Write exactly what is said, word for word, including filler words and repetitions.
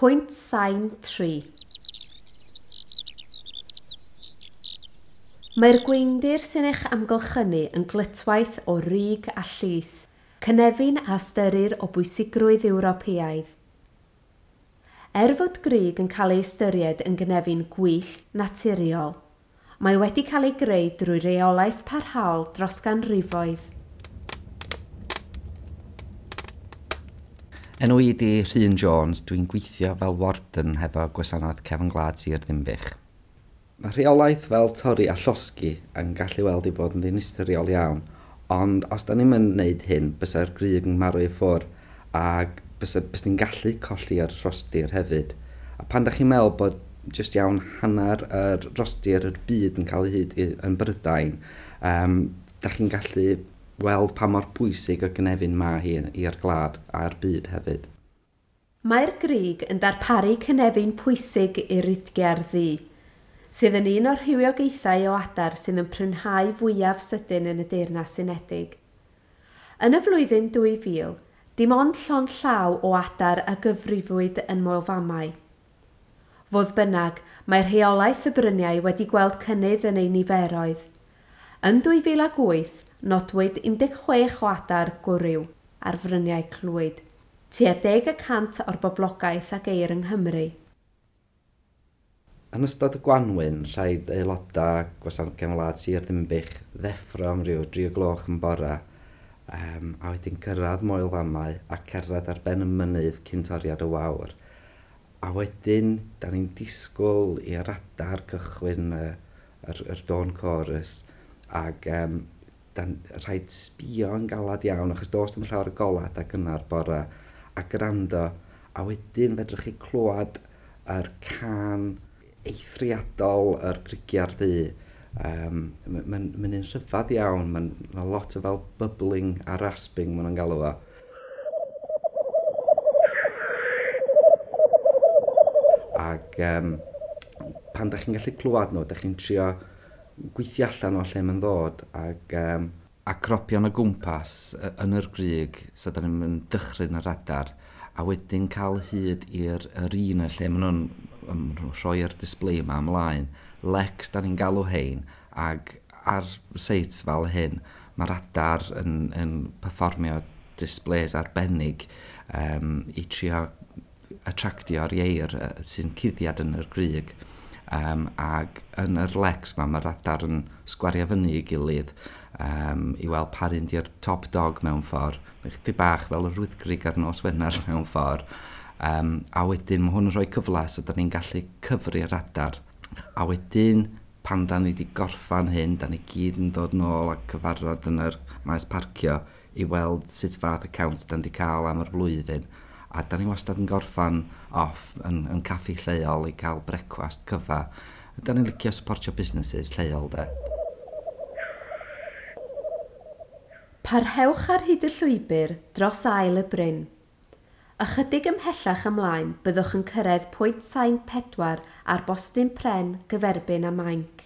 Pwynt sain tri. Mae'r gweindir sy'n eich amgylchynu yn glytwaith o rug a llys, cynefin a ystyrir o bwysigrwydd Ewropeaidd. Er fod grug yn cael ei ystyried yn gynefin gwyllt naturiol, mae wedi cael ei greu drwy reolaeth parhaol dros ganrifoedd. Enw i di Rhun Jones, dwi'n gweithio fel warden hefo Gwasanaeth Cefn Gwlad Sir Ddinbych. Mae rheolaeth fel torri a llosgi yn gallu weld i fod yn ddinistriol iawn, ond os da ni'n mynd wneud hyn, bysa'r grug yn marw i ffwrdd ac bysa, bysa ni'n gallu colli ar rhostir hefyd. A pan da chi'n meddwl bod jyst iawn hanner yr rhostir yr byd yn cael ei hyd yn Brydain, um, da chi'n gallu weld pa mor bwysig o gynefin ma hi i'r gwlad a'r byd hefyd. Mae'r grug yn darparu cynefin pwysig i'r utgiar ddu, sydd yn un o'r rhywogaethau o adar sydd yn prinhau fwyaf sydyn yn y Deyrnas Unedig. Yn y flwyddyn dwy fil, dim ond llond llaw o adar a gyfrifwyd yn Moel Famau. Fodd bynnag, mae rheolaeth y bryniau wedi gweld cynnydd yn ei niferoedd. Yn dwy fil ac wyth, nodwyd un deg chwech o adar gwryw ar fryniau Clwyd, tua deg y cant o'r boblogaeth a geir yng Nghymru. Yn ystod y gwanwyn, rhaid aelodau Gwasanaeth Cefn Gwlad Sir Ddinbych ddeffro am ryw dri o gloch yn bore, um, a wedyn cyrraedd Moel Famau a cerdded ar ben y mynydd cyn toriad y wawr. A wedyn, da ni'n disgwyl i'r adar cychwyn y, yr, yr dawn chorus, ac um, dan, rhaid sbio yn galad iawn, achos does dim llawer o golau adeg gynnar bore, a gwrando, a wedyn fedrwch chi clywed yr cân eithriadol yr grugiar ddu. Um, Mae'n ma un rhyfedd iawn, mae'n ma lot o fel bubbling a rasping maen nhw'n galw fo. Ac um, pan da chi'n gallu clywed nhw, da chi'n trio gweithio allan o lle mae'n ddod ac, um, a cropio'n o gwmpas yn yr grug, so da ni'n mynd dychryn yr adar, a wedyn cael hyd i'r yr un lle maen nhw'n nhw rhoi'r display yma ymlaen. Leks da ni'n galw hein, ac ar sites fel hyn, mae'r adar yn, yn perfformio displays arbennig um, i trio attractio'r ieir sy'n cuddiad yn yr grug. Um, ac yn yr leks ma, mae'r adar yn sgwario fyny i gilydd um, i weld pa un di'r top dog mewn ffordd. Mae chydig bach fel yr wyddgrug ar nos Wener mewn ffordd. Um, a wedyn mae hwn yn rhoi cyfle so da ni'n gallu cyfri'r adar. A wedyn pan da ni wedi gorffan hyn, da ni gyd yn dod nôl a cyfarfod yn yr maes parcio i weld sut fath y count da ni wedi cael am yr blwyddyn. A da ni wastad yn gorffan off yn, yn caffi lleol i cael brecwast cyfa. Da ni'n licio supportio businesses lleol de. Parhewch ar hyd y llwybr dros ael y bryn. Ychydig ymhellach ymlaen byddwch yn cyrraedd pwynt sain pedwar ar bostyn pren gyferbyn a mainc.